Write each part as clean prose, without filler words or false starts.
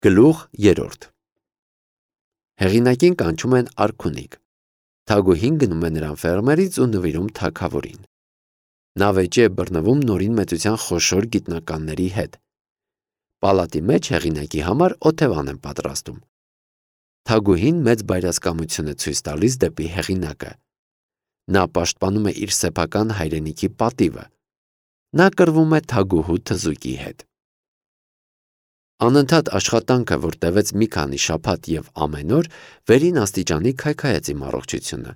Գլուխ 3 Հեղինակին կանչում են արքունիկ։ Թագուհին գնում է նրան ֆերմերից ու նվիրում թագավորին։ Նա վեճի է բռնվում նորին մեծության խոշոր գիտնականների հետ։ Պալատի մեջ հեղինակի համար օթևան են պատրաստում։ Թագուհին մեծ բայրասկամություն է ցույց տալիս դեպի հեղինակը։ Նա պաշտպանում է իր սեփական հայրենիքի պատիվը։ Նա կռվում է թագուհու թզուկի հետ։ Անընդհատ աշխատանքը, որ տևեց մի քանի շաբաթ եւ ամեն օր, վերին աստիճանի քայքայեց իմ առողջությունը,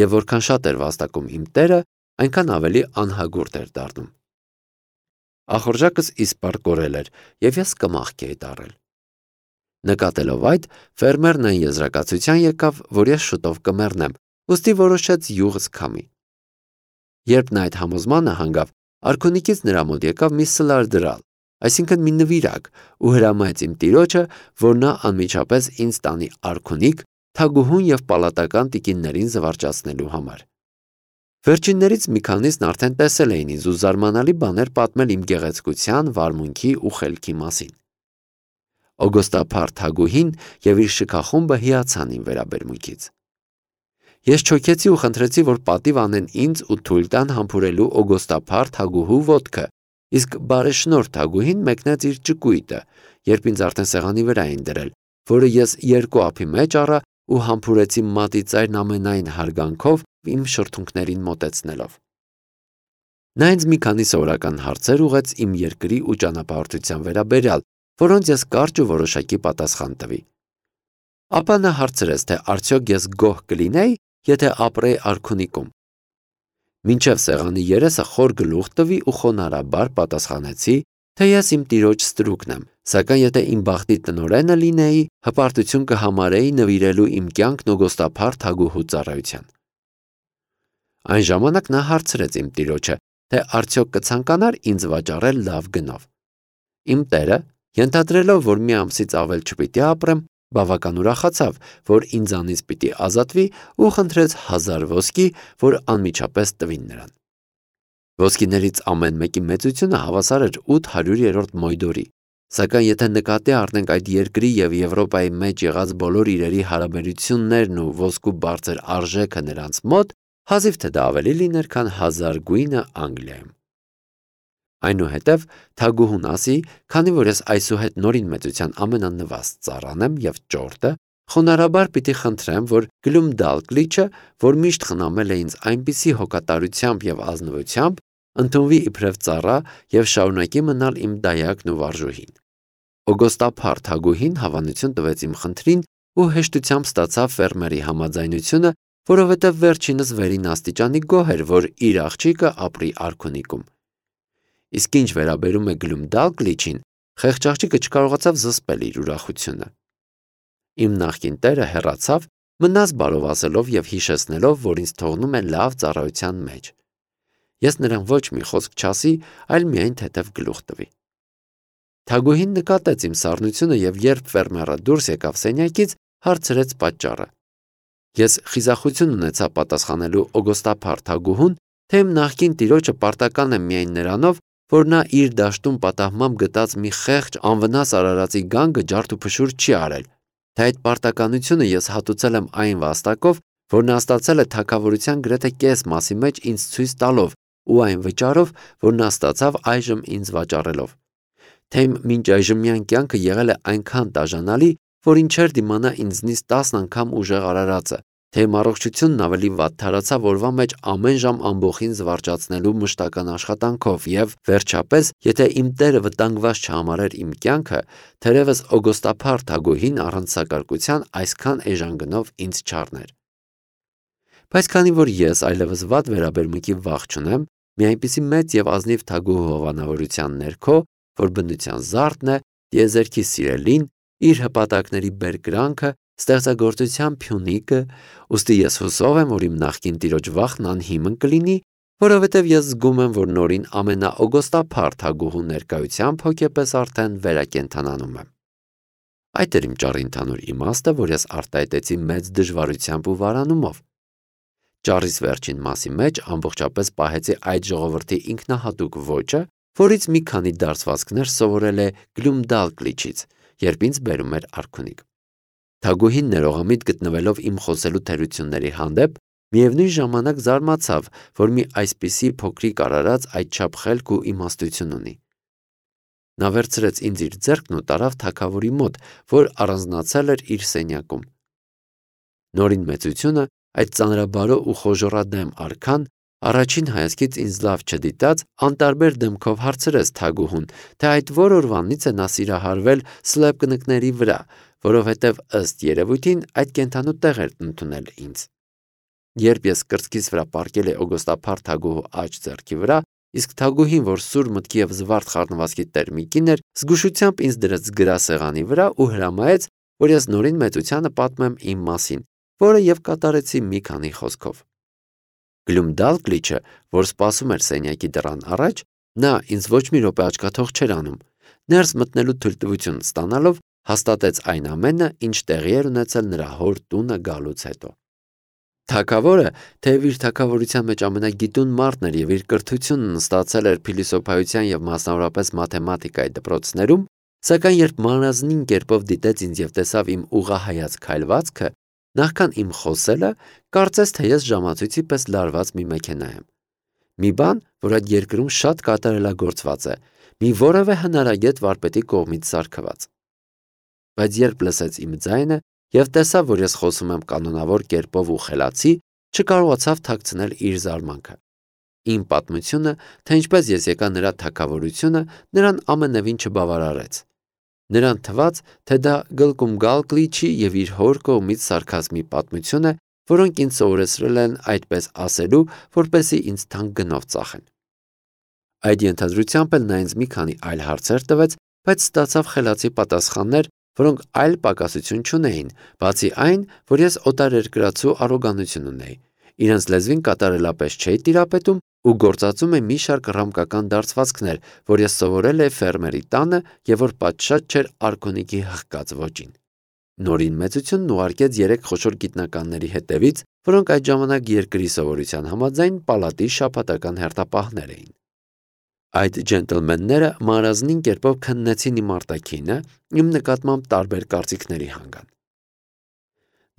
եւ որքան շատ էր վաստակում իմ տերը, այնքան ավելի անհագուրդ էր դառնում։ Ախորժակս իսպառ կորել էր, եւ ես կմախքի էի դառել։ Նկատելով այդ, ֆերմերն այն եզրակացության եկավ, որ ես շուտով կմեռնեմ, ուստի որոշեց յուղս քամի։ Երբ նա այդ համոզմանը հանգավ, արքունիկից նրա մոտ եկավ մի սլարդրալ, այսինքն մի նվիրակ, ու հրամայեց իմ տիրոջը, որ նա անմիջապես ինձ տանի արքունիկ թագուհուն եւ պալատական տիկիններին զվարճացնելու համար։ Վերջիններից մի քանիսն արդեն տեսել էին ինձ ու զարմանալի բաներ պատմել իմ գեղեցկության, վարմունքի ու խելքի մասին։ Օգոստափառ թագուհին եւ իր շքախումբը հիացան իմ վերաբերմունքից։ Ես չոքեցի ու խնդրեցի, որ պատիվ անեն ինձ ու թույլ տան համբուրելու օգոստափառ թագուհու ոտքը, իսկ բարեշնորհ թագուհին մեկնեց իր ճկույտը, երբ ինձ արդեն սեղանի վրա էին դրել, որը ես երկու ափի մեջ առա ու համբուրեցի մատի ծայրն ամենայն հարգանքով իմ շրթունքներին մոտեցնելով։ Նա ինձ մի քանի սովորական հարցեր ուղեց իմ երկրի ու ճանապարհորդության վերաբերյալ, որոնց ես կարճ ու որոշակի պատասխան տվի։ Ապա նա հարցրեց, թե արդյոք ես գոհ կլինեի, եթե ապրեի արքունիկում։ Մինչև սեղանի երեսը խոր գլուխ տվի ու խոնարհաբար պատասխանեցի, թե ես իմ տիրոջ ստրուկն եմ, սակայն եթե իմ բախտի տնօրենը լինեի, հպարտություն կհամարեի նվիրելու իմ կյանքն օգոստափառ թագուհու ծառայության։ Այն ժամանակ նա հարցրեց իմ տիրոջը, թե արդյոք կցանկանար ինձ վաճառել լավ գնով։ Իմ տերը, ենթադրելով, որ մի ամսից ավել չպիտի ապրեմ, բավական ուրախացավ, որ ինձանից պիտի ազատվի ու խնդրեց 1000 ոսկի, որ անմիջապես տվին նրան։ Ոսկիներից ամեն մեկի մեծությունը հավասար էր 800-րդ մոյդորի, սակայն եթե նկատի առնենք այդ երկրի եւ Եվրոպայի մեջ եղած բոլոր իրերի հարաբերություններն ու ոսկու բարձր արժեքը նրանց մոտ, հազիվ թե դա ավելի լիներ, քան 1000 գույնը Անգլիայում։ Այնուհետև թագուհուն ասի, քանի որ ես այսուհետ նորին մեծության ամենանվաստ ծառան եմ եւ ճորտը, խոնարհաբար պիտի խնդրեմ, որ Գլումդալկլիչը, որ միշտ խնամել է ինձ այնպիսի հոգատարությամբ եւ ազնվությամբ, ընդունվի իբրև ծառա եւ շարունակի մնալ իմ դայակն ու վարժուհին։ Օգոստափառ թագուհին հավանություն տվեց իմ խնդրին ու հեշտությամբ ստացավ ֆերմերի համաձայնությունը, որովհետև վերջինս վերին աստիճանի գոհ էր, որ իր աղջիկը ապրի արքունիկում։ Իսկ ինչ վերաբերում է Գլումդալկլիչին, խեղճ աղջիկը չկարողացավ զսպել իր ուրախությունը։ Իմ նախկին տերը հեռացավ, մնաց բարովասելով եւ հիշեցնելով, որ ինձ թողնում է լավ ծառայության մեջ։ Ես նրան ոչ մի խոսք չասի, այլ միայն թեթև գլուխ տվի։ Թագուհին նկատեց իմ սառնությունը եւ երբ ֆերմերը դուրս եկավ սենյակից, հարցրեց պատճառը։ Ես խիզախություն ունեցա պատասխանելու օգոստափառ թագուհուն, թե իմ նախկին տիրոջը պարտական է միայն նրանով, որ նա իր դաշտում պատահմամբ գտած մի խեղճ անվնաս արարածի գանգը ջարդուփշուր չի արել, թե այդ պարտականությունը ես հատուցել եմ այն վաստակով, որ նա ստացել է թագավորության գրեթե կես մասի մեջ ինձ ցույց տալով ու այն վճարով, որ նա ստացավ այժմ ինձ վաճառելով։ Թե իմ մինչ այժմյան կյանքը եղել է այնքան տաժանալի, որ ինչեր դիմանա ինձնից 10 անգամ ուժեղ արարածը, թե իմ առողջությունն ավելի վատթարացավ օրվա մեջ ամեն ժամ ամբոխին զվարճացնելու մշտական աշխատանքով եւ վերջապես, եթե իմ տերը վտանգված չհամարեր իմ կյանքը, թերևս օգոստափառ թագուհին առանց սակարկության այսքան էժան ինձ չառներ։ Բայց քանի որ ես այլևս վատ վերաբերմունքի վախ չունեմ, մի այնպիսի մեծ եւ ազնիվ թագուհու հովանավորության ներքո, որ բնության զարդն է, տիեզերքի սիրելին, իր հպատակների բերկրանքը, ստեղծագործության փյունիկը, ուստի ես հուսով եմ, որ իմ նախկին տիրոջ վախն անհիմն կլինի, որովհետև ես զգում եմ, որ նորին ամենաօգոստափառ թագուհու ներկայությամբ հոգեպես արդեն վերակենդանանում եմ։ Այդ էր իմ ճառի ընդհանուր իմաստը, որ ես արտահայտեցի մեծ դժվարությամբ ու վարանումով։ Ճառիս վերջին մասի մեջ ամբողջապես պահեցի այդ ժողովրդի ինքնահատուկ ոճը, որից մի քանի դարձվածքներ սովորել է Գլումդալկլիչից, երբ ինձ բերում էր արքունիք։ Թագուհին ներողամիտ գտնվելով իմ խոսելու թերությունների հանդեպ, միևնույն ժամանակ զարմացավ, որ մի այսպիսի փոքրիկ արարած այդչափ խելք ու իմաստություն ունի։ Նա վերցրեց ինձ իր ձեռքն ու տարավ թագավորի մոտ, որ առանձնացել էր իր սենյակում։ Նորին մեծությունը, այդ ծանրաբարո ու խոժոռադեմ արքան, առաջին հայացքից ինձ լավ չդիտած, անտարբեր դեմքով հարցրեց թագուհուն, թե այդ որ օրվանից է նա սիրահարվել սլեպկնկների վրա, որովհետև ըստ երևույթին այդ կենդանու տեղ էր ընդունել ինձ։ Երբ ես կրծքիս վրա պառկել էի օգոստափառ թագուհու աջ ձեռքի վրա, իսկ թագուհին, որ սուր մտքի և զվարթ խառնվածքի տեր մի կին էր, զգուշությամբ ինձ դրեց գրասեղանի վրա ու հրամայեց, որ ես նորին մեծությանը պատմեմ իմ մասին, որը և կատարեցի մի քանի խոսքով։ Գլումդալկլիչը, որ սպասում էր սենյակի դռան առաջ, նա ինձ ոչ մի րոպե աչքաթող չէր անում, ներս մտնելու թույլտվություն ստանալով հաստատեց այն ամենը, ինչ տեղի էր ունեցել նրա հոր տունը գալուց հետո։ Թագավորը, թեև իր թագավորության մեջ ամենագիտուն մարդն էր և իր կրթությունն ստացել էր փիլիսոփայության և մասնավորապես մաթեմատիկայի դպրոցներում, սակայն երբ մանրազնին կերպով դիտեց ինձ և տեսավ իմ ուղղահայաց քայլվածքը, նախքան իմ խոսելը, կարծես թե ես ժամացույցի պես լարված մի մեքենա եմ։ Մի բան, որ այդ երկրում շատ կատարելագործված է, մի որևէ հնարագետ վարպետի կողմից սարքված։ Բայց երբ լսեց իմ ձայնը և տեսավ, որ ես խոսում եմ կանոնավոր կերպով ու խելացի, չկարողացավ թաքցնել իր զարմանքը։ Իմ պատմությունը, թե ինչպես ես եկա նրա թագավորությունը, նրան ամենևին չբավարարեց։ Նրան թվաց, թե դա Գլկումգալկլիչի և իր հոր կողմից սարքած մի պատմություն է, որոնք ինձ սովորեցրել են այդպես ասելու, որպեսզի ինձ թանկ գնով ծախեն։ Այդ ենթադրությամբ էլ նա ինձ մի քանի այլ հարցեր տվեց, բայց ստացավ խելացի պատասխաններ, որոնք այլ պակասություն չունեին, բացի այն, որ ես օտարերկրացու առոգանություն ունեի։ Իրենց լեզվին կատարելապես չէի տիրապետում ու գործածում էի մի շարք ռամկական դարձվածքներ, որ ես սովորել էի ֆերմերի տանը և որ պատշաճ չէր արքունիքի հղկած ոճին։ Նորին մեծությունն ուղարկեց 3 խոշոր գիտնականների հետևից, որոնք այդ ժամանակ երկրի սովորության համաձայն պալատի շաբաթական հերթապահներ էին։ Այդ ջենտլմենները մանրազնին կերպով քննեցին իմ արտաքինը, իմ նկատմամբ տարբեր կարծիքների հանգան։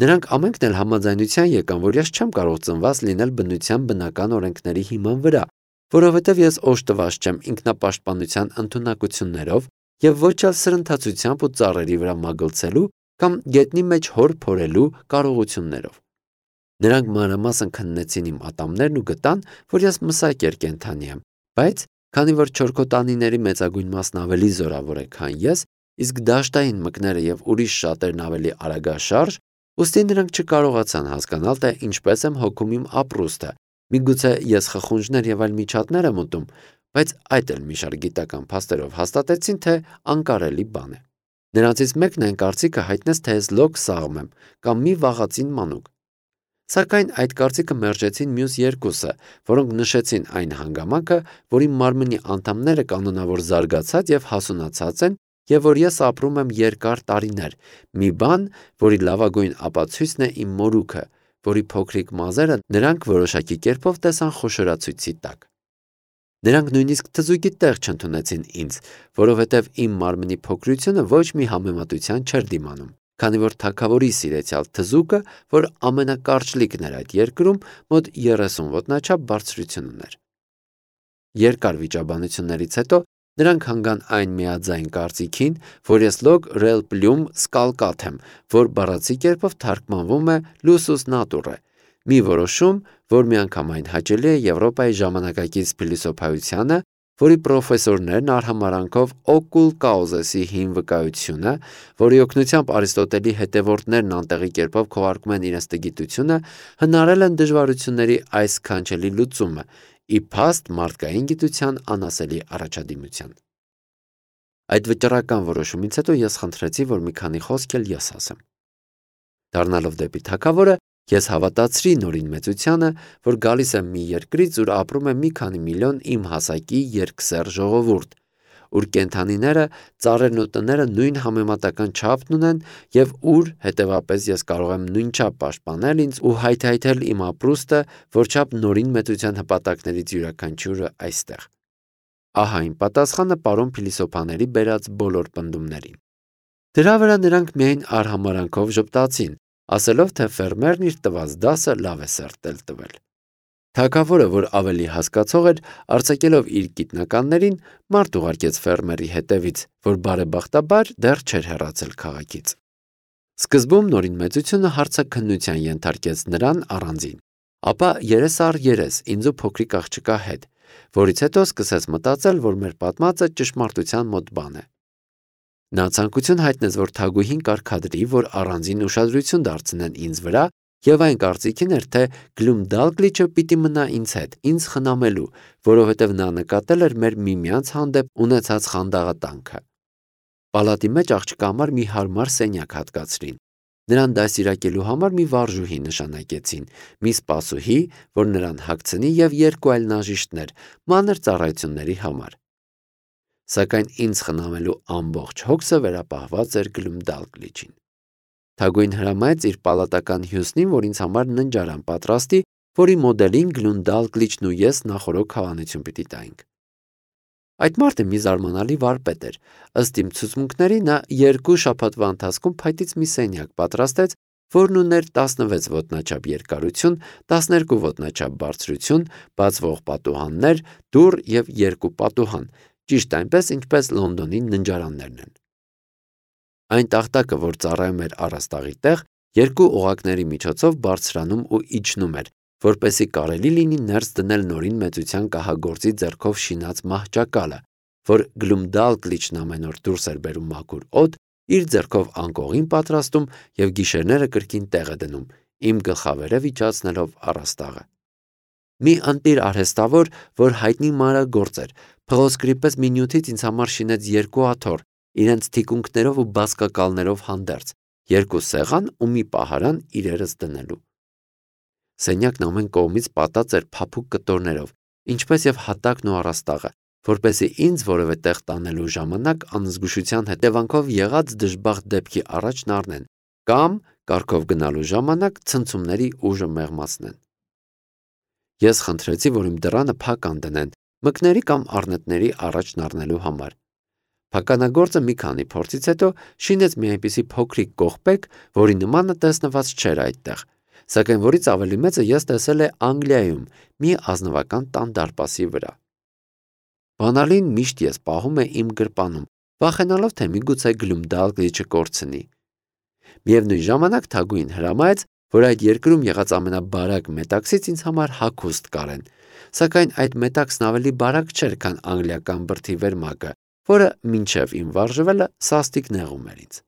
Նրանք ամենքն էլ համաձայնության եկան, որ ես չեմ կարող ծնված լինել բնության բնական օրենքների հիման վրա, որովհետև ես օժտված չեմ ինքնապաշտպանության ընդունակություններով և ոչ էլ սրընթացությամբ ու ծառերի վրա մագլցելու կամ գետնի մեջ հոր փորելու կարողություններով։ Նրանք մանրամասն քննեցին իմ ատամներն ու գտան, որ ես մսակեր կենդանի եմ, բայց քանի որ չորքոտանիների մեծագույն մասն ավելի զորավոր է, քան ես, իսկ դաշտային մկները և ուրիշ շատերն ավելի արագաշարժ, ուստի նրանք չկարողացան հասկանալ, թե ինչպես եմ հոգում իմ ապրուստը, միգուցե ես խխունջներ և այլ միջատներ եմ ուտում, բայց այդ էլ մի շարք գիտական փաստերով հաստատեցին, թե անկարելի բան է։ Նրանցից մեկն այն կարծիքը հայտնեց, թե ես լոկ սաղմ եմ կամ մի վաղածին մանուկ։ Սակայն այդ կարծիքը մերժեցին մյուս երկուսը, որոնք նշեցին այն հանգամանքը, որ իմ մարմնի անդամները կանոնավոր զարգացած և հասունացած են և որ ես ապրում եմ երկար տարիներ, մի բան, որի լավագույն ապացույցն է իմ մորուքը, որի փոքրիկ մազերը նրանք որոշակի կերպով տեսան խոշորացույցի տակ։ Նրանք նույնիսկ թզուկի տեղ չընդունեցին ինձ, որովհետև իմ մարմնի փոքրությունը ոչ մի համեմատության չէր դիմանում, քանի որ թագավորի սիրեցյալ թզուկը, որ ամենակարճլիկն էր այդ երկրում, մոտ 30 ոտնաչափ բարձրություն ուներ։ Երկար վիճաբանություններից հետո նրանք հանգան այն միաձայն կարծիքին, որ ես լոկ ռել պլյում սկալկաթ եմ, որ բառացի կերպով թարգմանվում է լուսուս նատուրը, մի որոշում, որ միանգամայն հաճելի է Եվրոպայի ժամանակակից փիլիսոփայությանը, որի պրոֆեսորներն արհամարհանքով օկուլ կաուզեսի հին վկայությունը, որի օգնությամբ Արիստոտելի հետևորդներն անտեղի կերպով քողարկում են իրենց տգիտությունը, հնարել են դժվարությունների այս սքանչելի լուծումը, ի փաստ մարդկային գիտության անասելի առաջադիմության։ Այդ վճռական որոշումից հետո ես խնդրեցի, որ մի քանի խոսք էլ ես ասեմ։ Դառնալով դեպի թագավորը, ես հավատացրի նորին մեծությանը, որ գալիս եմ մի երկրից, ուր ապրում է մի քանի միլիոն իմ հասակի երկսեռ ժողովուրդ, ուր կենդանիները, ծառերն ու տները նույն համեմատական չափն ունեն և ուր, հետևապես, ես կարող եմ նույնչափ պաշտպանել ինձ ու հայթայթել իմ ապրուստը, որչափ նորին մեծության հպատակներից յուրաքանչյուրը այստեղ։ Ահա իմ պատասխանը պարոն փիլիսոփաների բերած բոլոր պնդումներին։ Դրա վրա նրանք միայն արհամարանքով ժպտացին, ասելով, թե ֆերմերն իր տված դասը լավ է սերտել տվել։ Թագավորը, որ ավելի հասկացող էր, արձակելով իր գիտնականներին, մարդ ուղարկեց ֆերմերի հետևից, որ բարեբախտաբար դեռ չէր հեռացել քաղաքից։ Սկզբում նորին մեծությունը հարցաքննության ենթարկեց նրան առանձին, ապա երես առ երես ինձ ու փոքրիկ աղջկա հետ, որից հետո սկսեց մտածել, որ մեր պատմածը ճշմարտության մոտ բան է։ Նա ցանկություն հայտնեց, որ Թագուհին կարգադրի, որ առանձին ուշադրություն դարձնեն ինձ վրա, եւ այն կարծիքին էր, թե Գլումդալգլիչը պիտի մնա ինձ հետ, ինձ խնամելու, որովհետեւ նա նկատել էր մեր միմյանց հանդեպ ունեցած խանդաղատանքը։ Պալատի մեջ աղջկա համար մի հարմար սենյակ հատկացրին։ Նրան դասիրակելու համար մի վարժուհի նշանակեցին, մի սպասուհի, որ նրան հագցնի եւ երկու այլ նաժիշտներ, մանր ծառայությունների համար։ Սակայն ինձ խնամելու ամբողջ հոգսը վերապահված էր Գլումդալգլիչին։ Թագուհին հրամայեց իր պալատական հյուսնին, որ ինձ համար ննջարան պատրաստի, որի մոդելին Գլումդալգլիչն ու ես նախորոք հավանություն պիտի տայինք։ Այդ մարդը մի զարմանալի վարպետ էր։ Ըստ իմ ցուցմունքների նա 2 շաբաթվա ընթացքում փայտից մի սենյակ պատրաստեց, որն ուներ 16 ոտնաչափ երկարություն, 12 ոտնաչափ բարձրություն, բացվող պատուհաններ, դուռ եւ 2 պատուհան, ճիշտ այնպես, ինչպես Լոնդոնի ննջարաններն են։ Այն տախտակը, որ ծառայում էր առաստաղի տեղ, 2 օղակների միջոցով բարձրանում ու իջնում էր, որպեսզի կարելի լինի ներս դնել նորին մեծության կահագործի ձեռքով շինած մահճակալը, որ Գլումդալգլիչն ամեն օր դուրս էր բերում մաքուր օդ, իր ձեռքով անկողին պատրաստում եւ գիշերները կրկին տեղ է դնում, իմ գլխավերև իջացնելով առաստաղը։ Մի ընտիր արհեստավոր, որ հայտնի մանրագործ էր, փղոսկրի պես մի նյութից ինձ համար շինեց 2 աթոռ, իրենց թիկունքներով ու բազկակալներով հանդերձ, 2 սեղան ու մի պահարան իրերս դնելու։ Սենյակն ամեն կողմից պատած էր փափուկ կտորներով, ինչպես եւ հատակն ու առաստաղը, որպեսզի ինձ որևէ տեղ տանելու ժամանակ անզգուշության հետևանքով եղած դժբախտ դեպքի առաջն առնեն կամ կառքով գնալու ժամանակ ցնցումների ուժը մեղմացնեն։ Ես խնդրեցի, որ իմ դռանը փակ անդնեն, մկների կամ առնետների առաջն առնելու համար։ Փականագործը մի քանի փորձից հետո շինեց մի այնպիսի փոքրիկ կողպեկ, որի նմանը տեսնված չէր այդտեղ, սակայն որից ավելի մեծը ես տեսել է Անգլիայում մի ազնվական տան դարպասի վրա։ Բանալին միշտ ես պահում է իմ գրպանում, վախենալով, թե միգուցե Գլումդալգլիչը կորցնի։ Միևնույն ժամանակ Թագուհին հրամայեց, որ այդ երկրում եղած ամենաբարակ մետաքսից ինձ համար հագուստ կարեն, սակայն այդ մետաքսն ավելի բարակ չէր, քան անգլիական բրդի վերմակը, որը մինչև իմ վարժվելը սաստիկ նեղում էր ինձ։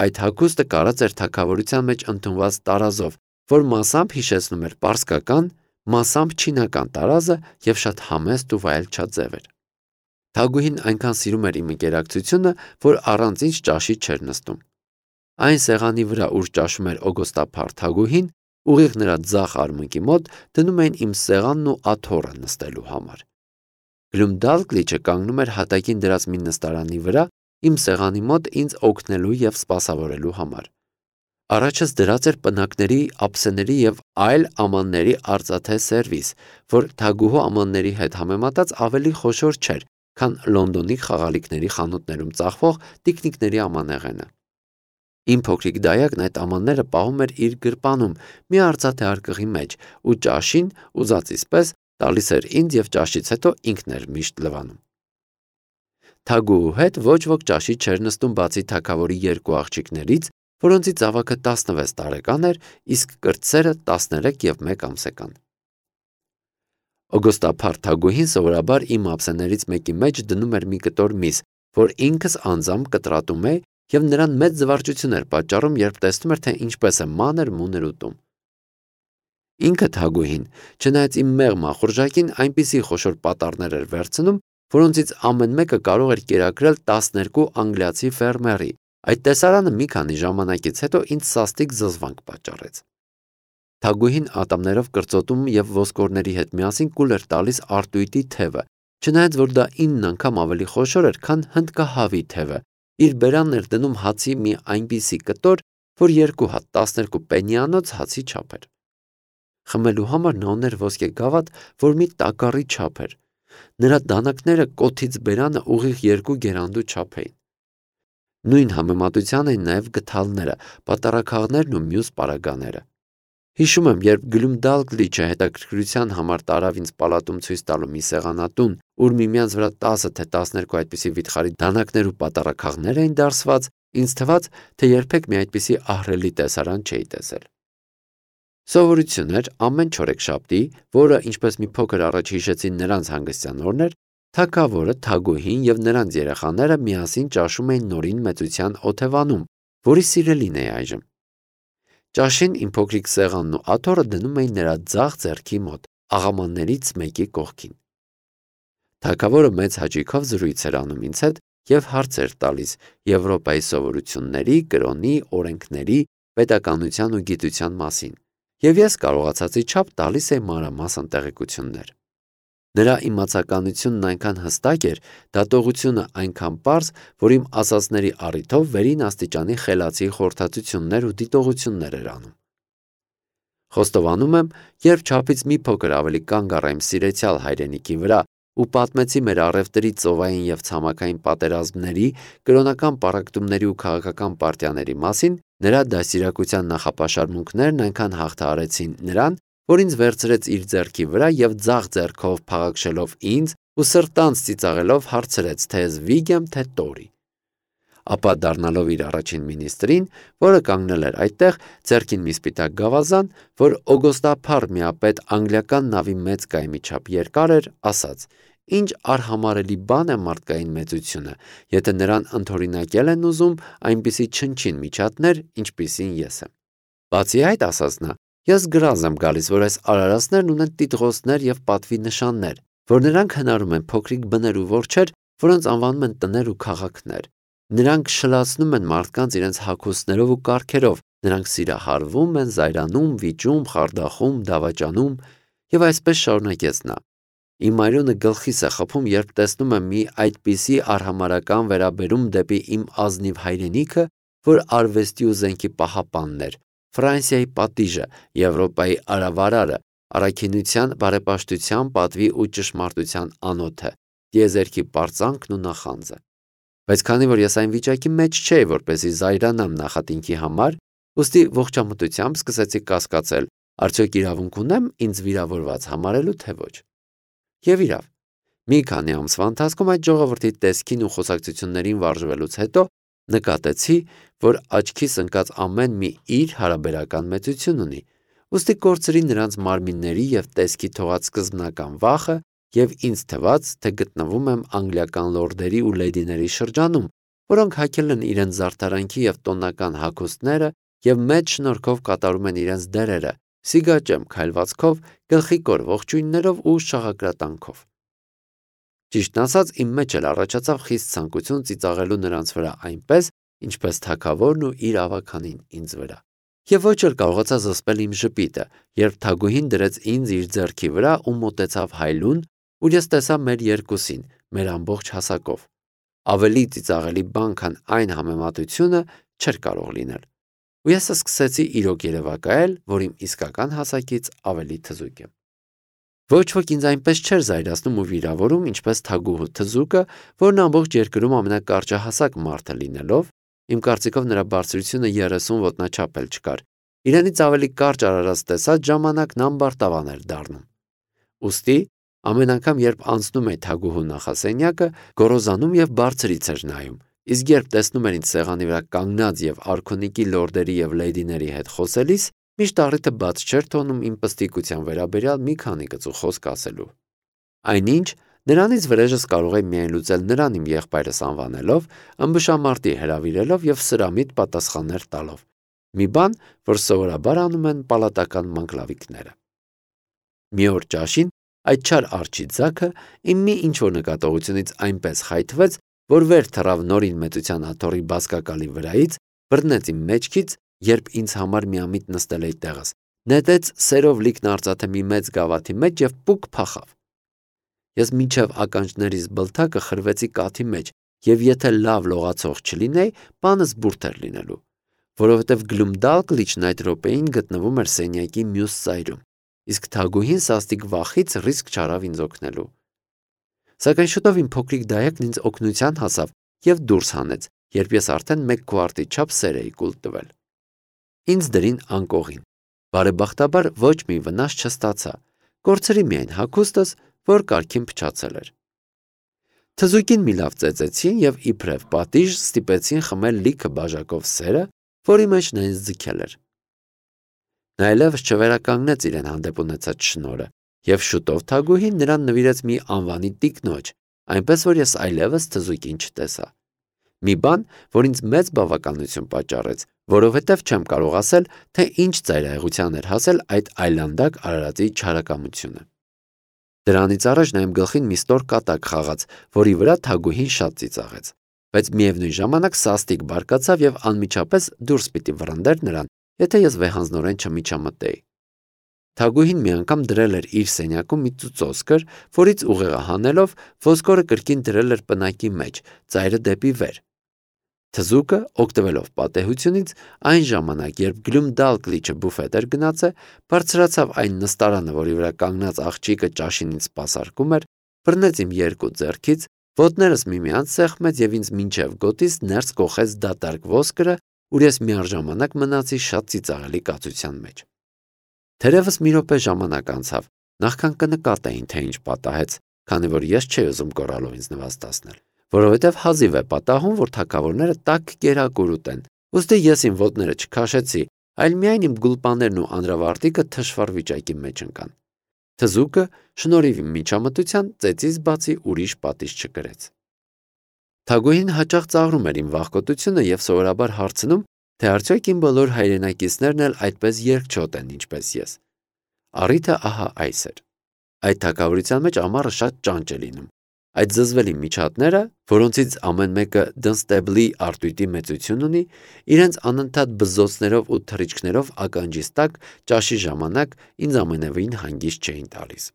Այդ հագուստը կարած էր թագավորության մեջ ընդունված տարազով, որ մասամբ հիշեցնում էր պարսկական, մասամբ չինական տարազը եւ շատ համեստ ու վայելչաձև էր։ Թագուհին այնքան սիրում էր իմ ընկերակցությունը, որ առանց ինձ ճաշի չէր նստում։ Այն սեղանի վրա, ուր ճաշում էր օգոստափառ Թագուհին, ուղիղ նրա ձախ արմունկի մոտ դնում էին իմ սեղանն ու աթոռը նստելու համար։ Գլումդալգլիչը կանգնում էր հատակին դրած մի նստարանի վրա, իմ սեղանի մոտ ինձ օգնելու եւ սպասավորելու համար։ Առաջս դրած էր պնակների, ափսեների եւ այլ ամանների արծաթե սերվիս, որ Թագուհու ամանների հետ համեմատած ավելի խոշոր չէր, քան Լոնդոնի խաղալիքների խանութներում ծախվող տիկնիկների ամանեղենը։ Իմ փոքրիկ դայակն այդ ամանները պահում էր իր գրպանում մի արծաթե արկղի մեջ ու ճաշին ուզածից պես տալիս էր ինձ եւ ճաշից հետո ինքն էր միշտ լվանում։ Թագուհու հետ ոչ ոք ճաշի չէր նստում բացի թագավորի 2 աղջիկներից, որոնցից ավագը 16 տարեկան էր, իսկ կրտսերը 13 եւ 1 ամսական։ Օգոստափառ Թագուհին սովորաբար իմ ափսեներից մեկի մեջ դնում էր մի կտոր միս, որ ինքս անձամբ կտրատում է եւ նրան մեծ զվարճություն էր պատճառում, երբ տեսնում էր, թե ինչպես է մանր մուներ ուտում։ Ինքը Թագուհին, չնայած իմ մեղմ ախորժակին, այնպիսի խոշոր պատառներ էր վերցնում, որոնցից ամեն մեկը կարող էր կերակրել 12 անգլիացի ֆերմերի։ Այդ տեսարանը մի քանի ժամանակից հետո ինձ սաստիկ զզվանք պատճառեց։ Թագուհին ատամներով կրծոտում եւ ոսկորների հետ միասին կուլ էր տալիս արտույտի թևը, չնայած որ դա 9 անգամ ավելի խոշոր էր, քան հնդկահավի թևը։ Իր բերանն էր դնում հացի մի այնպիսի կտոր, որ 2 հատ 12 պենիանոց հացի չափ էր։ Խմելու համար նա ուներ ոսկե գավաթ, որ մի տակառի չափ էր։ Նրա դանակները կոթից բերանը ուղիղ 2 գերանդու չափ էին։ Նույն համեմատության էին նաև գդալները, պատառաքաղներն ու մյուս պարագաները։ Հիշում եմ, երբ Գլումդալգլիչը հետաքրքրության համար տարավ ինձ պալատում ցույց տալու մի սեղանատուն, ուր միմյանց վրա 10 թե 12 այդպիսի վիթխարի դանակներ ու պատառաքաղներ էին դարսված, ինձ թվաց, թե երբեք մի այդպիսի ահռելի տեսարան չէի տեսել։ Սովորություն էր ամեն չորեքշաբթի, որը, ինչպես մի փոքր առաջ հիշեցի, նրանց հանգստյան օրն էր, թագավորը, Թագուհին և նրանց երեխաները միասին ճաշում էին նորին մեծության օթևանում, որի սիրելին էի այժմ։ Ճաշին իմ փոքրիկ սեղանն ու աթոռը դնում էին նրա ձախ ձեռքի մոտ, աղամաններից մեկի կողքին։ Թագավորը մեծ հաճույքով զրույց էր անում ինձ հետ և հարցեր տալիս Եվրոպայի սովորությունների, կրոնի, օրենքների, պետականության ու գիտության մասին, և ես կարողացածի չափ տալիս էի մանրամասն տեղեկություններ։ Նրա իմացականությունն այնքան հստակ էր, դատողությունը այնքան պարզ, որ իմ ասածների առիթով վերին աստիճանի խելացի խորհրդածություններ ու դիտողություններ էր անում։ Խոստովանում եմ, երբ չափից մի փոքր ավելի կանգ առա իմ սիրեցյալ հայրենիքի վրա ու պատմեցի մեր առևտրի, ծովային և ցամաքային պատերազմների, կրոնական պառակտումների ու քաղաքական պարտիաների մասին, նրա դաստիարակության նախապաշարմունքներն այնքան հաղթահարեցին նրան, որ ինձ վերցրեց իր ձեռքի վրա և ձախ ձեռքով փաղաքշելով ինձ ու սրտանց ծիծաղելով հարցրեց, թե ես Վիգ եմ, թե Տորի։ Ապա դառնալով իր առաջին մինիստրին, որը կանգնել էր այդտեղ, ձեռքին մի սպիտակ գավազան, որ օգոստափառ միապետ անգլիական նավի մեծ կայմի չափ երկար էր, ասաց. «Ինչ արհամարհելի բան է մարդկային մեծությունը, եթե նրան ընդօրինակել են ուզում այնպիսի չնչին միջատներ, ինչպիսին ես եմ»։ Բացի այդ, ասաց նա, ես գրազ եմ գալիս, որ այս արարածներն ունեն տիտղոսներ և պատվի նշաններ, որ նրանք հնարում են փոքրիկ բներ ու որջեր, որոնց անվանում են տներ ու քաղաքներ։ Նրանք շլացնում են մարդկանց իրենց հագուստներով ու կառքերով, նրանք սիրահարվում են, զայրանում, վիճում, խարդախում, դավաճանում, և այսպես շարունակեց նա։ Իմ այրոնը գլխիս է խփում, երբ տեսնում եմ մի այդպիսի արհամարհական վերաբերում դեպի իմ ազնիվ հայրենիքը, որ արվեստի ու զենքի պահապանն էր, Ֆրանսիայի պատիժը, Եվրոպայի արավարարը, առաքինության, բարեպաշտության, պատվի ու ճշմարտության անոթը, տիեզերքի պարծանքն ու նախանձը։ Բայց քանի որ ես այն վիճակի մեջ չէի, որպեսզի զայրանամ նախատինքի համար, ուստի ողջամտությամբ սկսեցի կասկածել, արդյոք իրավունք ունեմ ինձ վիրավորված համարելու, թե ոչ։ Եվ իրավ, մի քանի ամսվա ընթացքում այդ ժողովրդի տեսքին ու խոսակցություններին վարժվելուց հետո նկատեցի, որ աչքիս ընկած ամեն մի իր հարաբերական մեծություն ունի, ուստի կորցրի նրանց մարմինների և տեսքի թողած սկզբնական վախը և ինձ թվաց, թե գտնվում եմ անգլիական լորդերի ու լեդիների շրջանում, որոնք հագել են իրենց զարդարանքի և տոնական հագուստները և մեծ շնորհքով կատարում են իրենց դերերը, սիգաճեմ քայլվածքով, գլխիկոր ողջույններով ու շաղակրատանքով։ Ճիշտն ասած, իմ մեջ էլ առաջացավ խիստ ցանկություն ծիծաղելու նրանց վրա այնպես, ինչպես թագավորն ու իր ավագանին ինձ վրա։ Եվ ոչ էլ կարողացա զսպել իմ ժպիտը, երբ Թագուհին դրեց ինձ իր ձեռքի վրա ու մոտեցավ հայլուն, ուր ես տեսա մեր երկուսին, մեր ամբողջ հասակով։ Ավելի ծիծաղելի բան, քան այն համեմատությունը, չէր կարող լինել։ Ու ես սկսեցի իրոք երևակայել, որ իմ իսկական հասակից ավելի թզուկ եմ։ Ոչ ոք ինձ այնպես չէր զայրացնում ու վիրավորում, ինչպես Թագուհու թզուկը, որն ամբողջ երկրում ամենակարճահասակ մարդը լինելով, իմ կարծիքով նրա բարձրությունը 30 ոտնաչափ էլ չկար, իրենից ավելի կարճ արարած տեսած ժամանակն ամբարտավան էր դառնում։ Ուստի ամեն անգամ, երբ անցնում էի Թագուհու նախասենյակը, գոռոզանում և բարձրից էր նայում, իսկ երբ տեսնում էր ինձ սեղանի վրա կանգնած և արքունիքի լորդերի և լեդիների հետ խոսելիս, միշտ առիթը բաց չէր թողնում իմ պստիկության վերաբերյալ մի քանի կծու խոսք ասելու։ Այնինչ, նրանից վրեժս կարող էի միայն լուծել նրան իմ եղբայրս անվանելով, ըմբշամարտի հրավիրելով և սրամիտ պատասխաններ տալով։ Մի բան, որ սովորաբար անում են պալատական մանկլավիկները։ Մի օր ճաշին այդ չար արջի ձագը իմ մի ինչ-որ նկատողությունից այնպես խայթվեց, որ վեր թռավ նորին մեծության աթոռի բազկակալի վրայից, բռնեց իմ մեջքից, երբ ինձ համար միամիտ նստել էի տեղս, նետեց սերով լիքն արծաթե մի մեծ գավաթի մեջ և պուկ փախավ։ Ես մինչև ականջներիս բլթակը խրվեցի կաթի մեջ, և եթե լավ լողացող չլինեի, բանս բուրդ էր լինելու, որովհետև Գլումդալգլիչն այդ րոպեին գտնվում էր սենյակի մյուս ծայրում, իսկ Թագուհին սաստիկ վախից ռիսկ չարավ ինձ օգնելու։ Սակայն շուտով իմ փոքրիկ դայակն ինձ օգնության հասավ և դուրս հանեց, երբ ես արդեն 1 քվարտի չափ սեր էի կուլ տվել։ Ինձ դրին անկողին։ Բարեբախտաբար ոչ մի վնաս չստացա, կորցրի միայն հագուստս, որ կարգին փչացել էր։ Թզուկին մի լավ ծեծեցին և իբրև պատիժ ստիպեցին խմել լիքը բաժակով սերը, որի մեջ նա ինձ ձգել էր։ Նա այլևս չվերականգնեց իրեն հանդեպ ունեցած շնորհը, և շուտով Թագուհին նրան նվիրեց մի անվանի տիկնոջ, այնպես որ ես այլևս թզուկին չտեսա։ Մի բան, որ ինձ մեծ բավականություն պատճառեց, որովհետև չեմ կարող ասել, թե ինչ ծայրահեղության էր հասել այդ այլանդակ արարածի չարակամությունը։ Դրանից առաջ նա իմ գլխին մի ստոր կատակ խաղաց, որի վրա Թագուհին շատ ծիծաղեց, բայց միևնույն ժամանակ սաստիկ բարկացավ և անմիջապես դուրս պիտի վռնդեր նրան, եթե ես վեհանձնորեն չմիջամտեի։ Թագուհին մի անգամ դրել էր իր սենյակում մի ծուծոսկր, որից ուղեղը հանելով ոսկորը կրկին դրել էր պնակի մեջ, ծայրը դեպի վեր։ Թզուկը, օգտվելով պատեհությունից, այն ժամանակ, երբ Գլումդալկլիչը բուֆետ էր գնացել, բարձրացավ այն նստարանը, որի վրա կանգնած աղջիկը ճաշին սպասարկում էր, բռնեց իմ 2 ձեռքից, ոտներս միմյանց սեղմեց և ինձ մինչև գոտիս ներս կոխեց դատարկ ոսկրը, ուր ես միառժամանակ մնացի շատ ծիծաղելի կացության մեջ։ Թերևս մի րոպե ժամանակ անցավ, նախքան կնկատեին, թե ինչ պատահեց, քանի որ ես չէի ուզում կորալով ինձ նվաստացնել, որովհետև հազիվ է պատահում, որ թագավորները տաք կերակուր ուտեն, ուստի ես իմ ոտները չքաշեցի, այլ միայն իմ գուլպաներն ու անրավարտիքը թշվառ վիճակի մեջ ընկան։ Թզուկը, շնորհիվ իմ միջամտության, ծեծից բացի ուրիշ պատիժ չկրեց։ Թագուհին հաճախ ծաղրում էր իմ վախկոտությունը և սովորաբար հարցնում, թե արդյոք իմ բոլոր հայրենակիցներն էլ այդպես երկչոտ են, ինչպես ես։ Առիթը ահա այս էր։ Այդ թագավորության մեջ ամառը շատ ճանճ է լինում։ Այդ զզվելի միջատները, որոնցից ամեն մեկը Դնստեբլի արտույտի մեծություն ունի, իրենց անընդհատ բզզոցներով ու թռիչքներով ականջիս տակ ճաշի ժամանակ ինձ ամենևին հանգիստ չէին տալիս։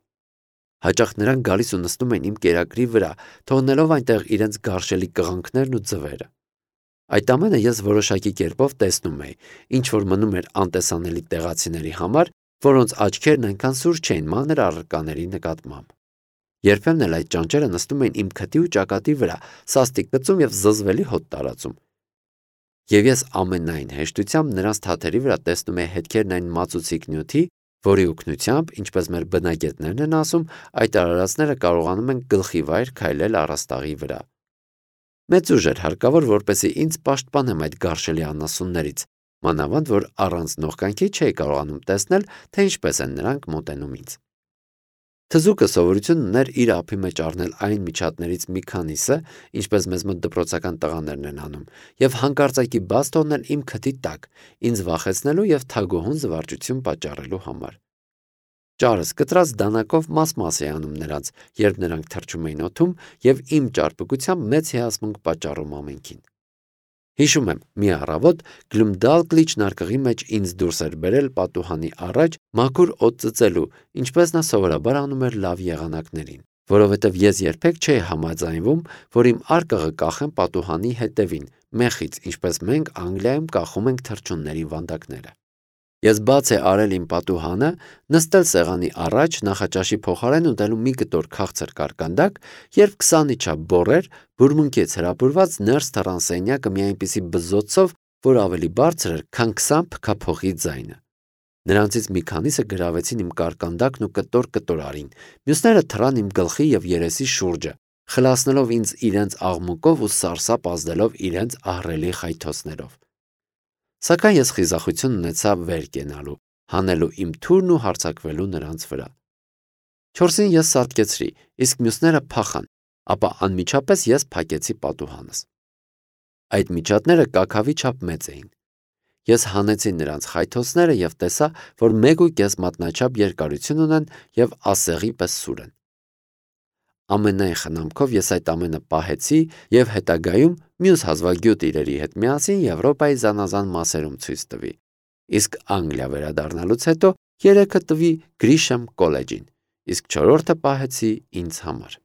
Հաճախ նրանք գալիս ու նստում էին իմ կերակրի վրա, թողնելով այնտեղ իրենց գարշելի կղանքներն ու ձվերը։ Այդ ամենը ես որոշակի կերպով տեսնում էի, ինչ որ մնում էր անտեսանելի տեղացիների համար, որոնց աչքերն այնքան սուր չէին մանր առարկաների նկատմամբ։ Երբեմն էլ այդ ճանճերը նստում էին իմ քթի ու ճակատի վրա, սաստիկ գծում և զզվելի հոտ տարածում։ Եվ ես ամենայն հեշտությամբ նրանց թաթերի վրա տեսնում էի հետքերն այն մածուցիկ նյութի, որի օգնությամբ, ինչպես մեր բնագետներն են ասում, այդ արարածները կարողանում են գլխիվայր քայլել առաստաղի վրա։ Մեծ ուժ էր հարկավոր, որպեսզի ինձ պաշտպանեմ այդ գարշելի անասուններից, մանավանդ որ առանց նողկանքի չէի կարողանում տեսնել, թե ինչպես են նրանք մոտենում ինձ։ Թզուկը սովորություն ուներ իր ափի մեջ առնել այն միջատներից մի քանիսը, ինչպես մեզ մոտ դպրոցական տղաներն են անում, և հանկարծակի բաց թողնել իմ քթի տակ, ինձ վախեցնելու և թագուհուն զվարճություն պատճառելու համար։ Ճարս կտրած դանակով մաս-մաս էի անում նրանց, երբ նրանք թռչում էին օդում և իմ ճարպկությամբ մեծ հիասմունք պատճառում ամենքին։ Հիշում եմ, մի առավոտ Գլումդալկլիչ նարկղի մեջ ինձ դուրս էր բերել պատուհանի առաջ մաքուր օդ ծծելու, ինչպես նա սովորաբար անում էր լավ եղանակներին, որովհետև ես երբեք չէի համաձայնվում, որ իմ արկղը կախեմ պատուհանի հետևին, մեխից, ինչպես մենք Անգլիայում կախում ենք թռչունների վանդակները։ Ես բաց է արել իմ պատուհանը, նստել սեղանի առաջ, նախաճաշի փոխարեն ուտելու մի կտոր քաղցր կարկանդակ, երբ 20-ի չափ բոռեր, բուրմունքից հրապուրված ներս թռան սենյակը մի այնպիսի բզզոցով, որ ավելի բարձր էր, քան 20 փքափոխի ձայնը։ Նրանցից մի քանիսը գրավեցին իմ կարկանդակն ու կտոր արին, մյուսները թռան իմ գլխի և երեսի շուրջը, խլացնելով ինձ իրենց աղմուկով ու սարսափ ազդելով իրենց ահռելի խայթոցներով։ Սակայն ես խիզախություն ունեցա վեր կենալու, հանելու իմ թուրն ու հարձակվելու նրանց վրա։ 4-ին ես սատկեցրի, իսկ մյուսները փախան, ապա անմիջապես ես փակեցի պատուհանս։ Այդ միջատները կաքավի չափ մեծ էին։ Ես հանեցի նրանց խայթոցները և տեսա, որ 1.5 մատնաչափ երկարություն ունեն և ասեղի պես սուր են։ Ամենայն խնամքով ես այդ ամենը պահեցի և հետագայում մյուս հազվագյուտ իրերի հետ միասին Եվրոպայի զանազան մասերում ցույց տվի, իսկ Անգլիա վերադառնալուց հետո 3-ը տվի Գրիշեմ կոլեջին, իսկ 4-րդը պահեցի ինձ համար։